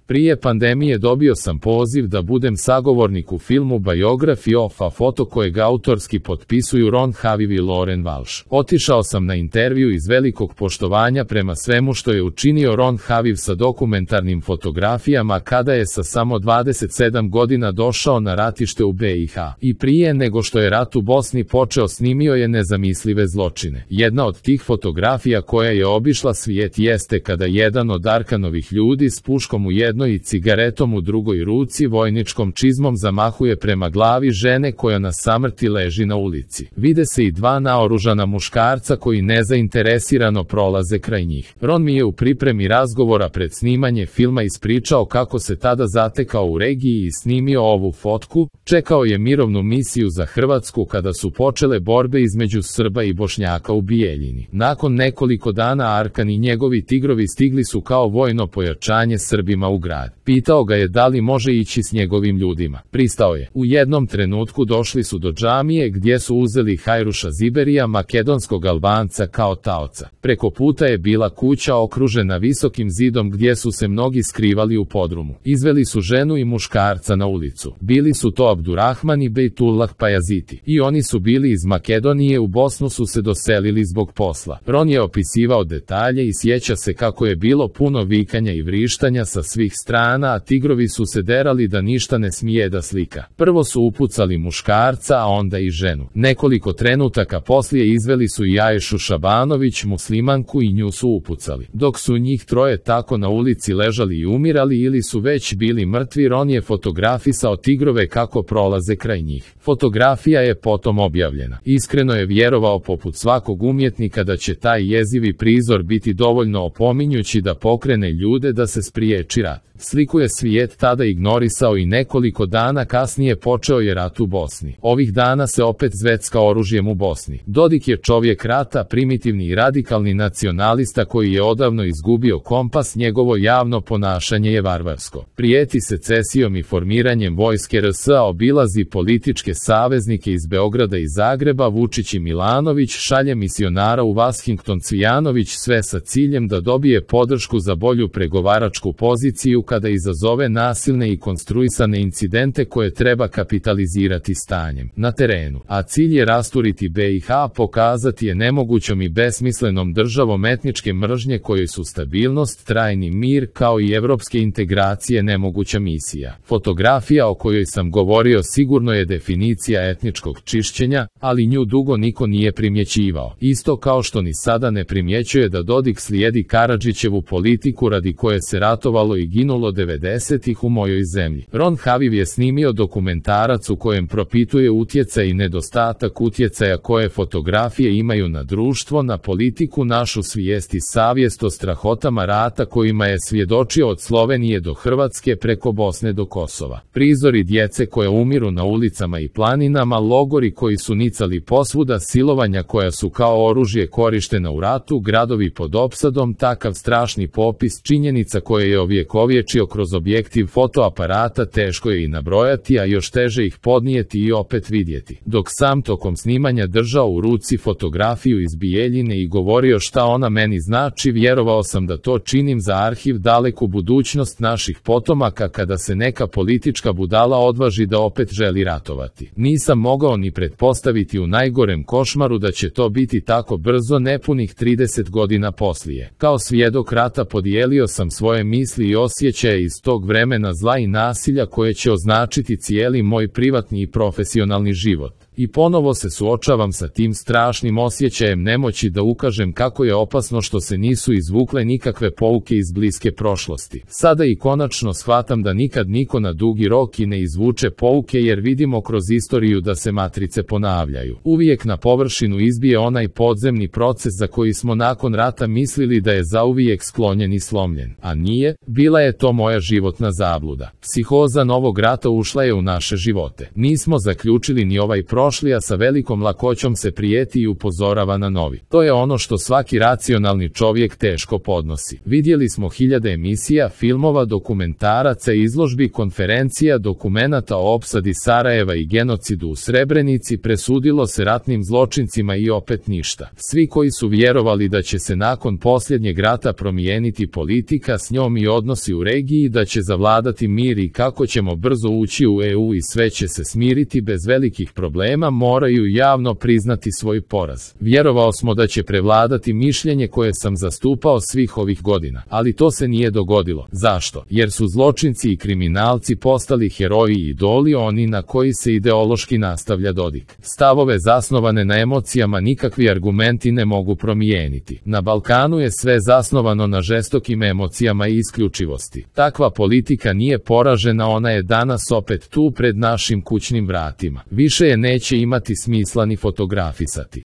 Prije pandemije dobio sam poziv da budem sagovornik u filmu Biography of a Photo kojeg autorski potpisuju Ron Haviv i Lauren Walsh. Otišao sam na intervju iz velikog poštovanja prema svemu što je učinio Ron Haviv sa dokumentarnim fotografijama kada je sa samo 27 godina došao na ratište u BiH. I prije nego što je rat u Bosni počeo snimio je nezamislive zločine. Jedna od tih fotografija koja je obišla svijet jeste kada jedan od Arkanovih ljudi s puškom u jednoj i cigaretom u drugoj ruci vojničkom čizmom zamahuje prema glavi žene koja na samrti leži na ulici. Vide se i dva naoružana muškarca koji nezainteresirano prolaze kraj njih. Ron mi je u pripremi razgovora pred snimanje filma ispričao kako se tada zatekao u regiji i snimio ovu fotku. Čekao je mirovnu misiju za Hrvatsku kada su počele borbe između Srba i Bošnjaka u Bijeljini. Nakon nekoliko dana Arkan i njegovi tigrovi stigli su kao vojno pojačanje Srbima u grad. Pitao ga je da li može ići s njegovim ljudima. Pristao je. U jednom trenutku došli su do džamije gdje su uzeli Hajruša Ziberija, makedonskog Albanca, kao taoca. Preko puta je bila kuća okružena visokim zidom gdje su se mnogi skrivali u podrumu. Izveli su ženu i muškarca na ulicu. Bili su to Abdurrahman i Bejtullah Pajaziti. I oni su bili iz Makedonije, u Bosnu su se doselili zbog posla. Ron je opisivao detalje i sjeća se kako je bilo puno vikanja i vrištanja sa svih strana, a tigrovi su se derali da ništa ne smije da slika. Prvo su upucali muškarca, a onda i ženu. Nekoliko trenutaka poslije izveli su i Aješu Šabanović, muslimanku, i nju su upucali. Dok su njih troje tako na ulici ležali i umirali ili su već bili mrtvi, Ron je fotografisao tigrove kako prolaze kraj njih. Fotografija je potom objavljena. Iskreno je vjerovao poput svakog umjetnika da će taj jezivi prizor biti dovoljno opominjući da pokrene ljude da se spriječi rat. Sliku je svijet tada ignorisao i nekoliko dana kasnije počeo je rat u Bosni. Ovih dana se opet zvecka oružjem u Bosni. Dodik je čovjek rata, primitivni i radikalni nacionalista koji je odavno izgubio kompas, njegovo javno ponašanje je varvarsko. Prijeti secesijom i formiranjem vojske RS, obilazi političke saveznike iz Beograda i Zagreba, Vučić i Milanović, šalje misionara u Washington Cvijanović, sve sa ciljem da dobije podršku za bolju pregovaračku poziciju kada izazove nasilne i konstruisane incidente koje treba kapitalizirati stanjem na terenu, a cilj je rasturiti BiH, pokazati je nemogućom i besmislenom državom etničke mržnje kojoj su stabilnost, trajni mir kao i evropske integracije nemoguća misija. Fotografija o kojoj sam govorio sigurno je definicija etničkog čišćenja, ali nju dugo niko nije primjećivao. Isto kao što ni sada ne primjećuje da Dodik slijedi Karadžićevu politiku radi koje se ratovalo i ginulo 90-ih u mojoj zemlji. Ron Haviv je snimio dokumentarac u kojem propituje utjecaj i nedostatak utjecaja koje fotografije imaju na društvo, na politiku, našu svijest i savjest o strahotama rata kojima je svjedočio od Slovenije do Hrvatske preko Bosne do Kosova. Prizori djece koje umiru na ulicama i planinama, logori koji su nicali posvuda, silovanja koja su kao oružje korištena u ratu, gradovi pod opsadom, takav strašni popis činjenica koje je ovjekovječio kroz objektiv fotoaparata teško je i nabrojati, a još teže ih podnijeti i opet vidjeti. Dok sam tokom snimanja držao u ruci fotografiju iz Bijeljine i govorio šta ona meni znači, vjerovao sam da to činim za arhiv, daleku budućnost naših potomaka kada se neka politička budala odvaži da opet želi ratovati. Nisam mogao ni pretpostaviti u najgorem košmaru da će to biti tako brzo, nepunih 30 godina poslije. Kao svjedok rata podijelio sam svoje misli i osjećaje iz tog vremena zla i nasilja koje će označiti cijeli moj privatni i profesionalni život. I ponovo se suočavam sa tim strašnim osjećajem nemoći da ukažem kako je opasno što se nisu izvukle nikakve pouke iz bliske prošlosti. Sada i konačno shvatam da nikad niko na dugi rok i ne izvuče pouke jer vidimo kroz istoriju da se matrice ponavljaju. Uvijek na površinu izbije onaj podzemni proces za koji smo nakon rata mislili da je zauvijek sklonjen i slomljen. A nije, bila je to moja životna zabluda. Psihoza novog rata ušla je u naše živote. Nismo zaključili ni ovaj prošlost prošli, a sa velikom lakoćom se prijeti i upozorava na novi. To je ono što svaki racionalni čovjek teško podnosi. Vidjeli smo hiljade emisija, filmova, dokumentaraca, izložbi, konferencija, dokumenata o opsadi Sarajeva i genocidu u Srebrenici, presudilo se ratnim zločincima i opet ništa. Svi koji su vjerovali da će se nakon posljednjeg rata promijeniti politika s njom i odnosi u regiji, da će zavladati mir i kako ćemo brzo ući u EU i sve će se smiriti bez velikih problema, moraju javno priznati svoj poraz. Vjerovao smo da će prevladati mišljenje koje sam zastupao svih ovih godina, ali to se nije dogodilo. Zašto? Jer su zločinci i kriminalci postali heroji i idoli, oni na koji se ideološki nastavlja Dodik. Stavove zasnovane na emocijama nikakvi argumenti ne mogu promijeniti. Na Balkanu je sve zasnovano na žestokim emocijama i isključivosti. Takva politika nije poražena, ona je danas opet tu pred našim kućnim vratima. Više je neće imati smisla ni fotografisati.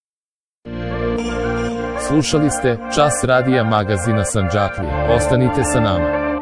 Slušali ste Čas radija magazina Sandžaklija. Ostanite sa nama.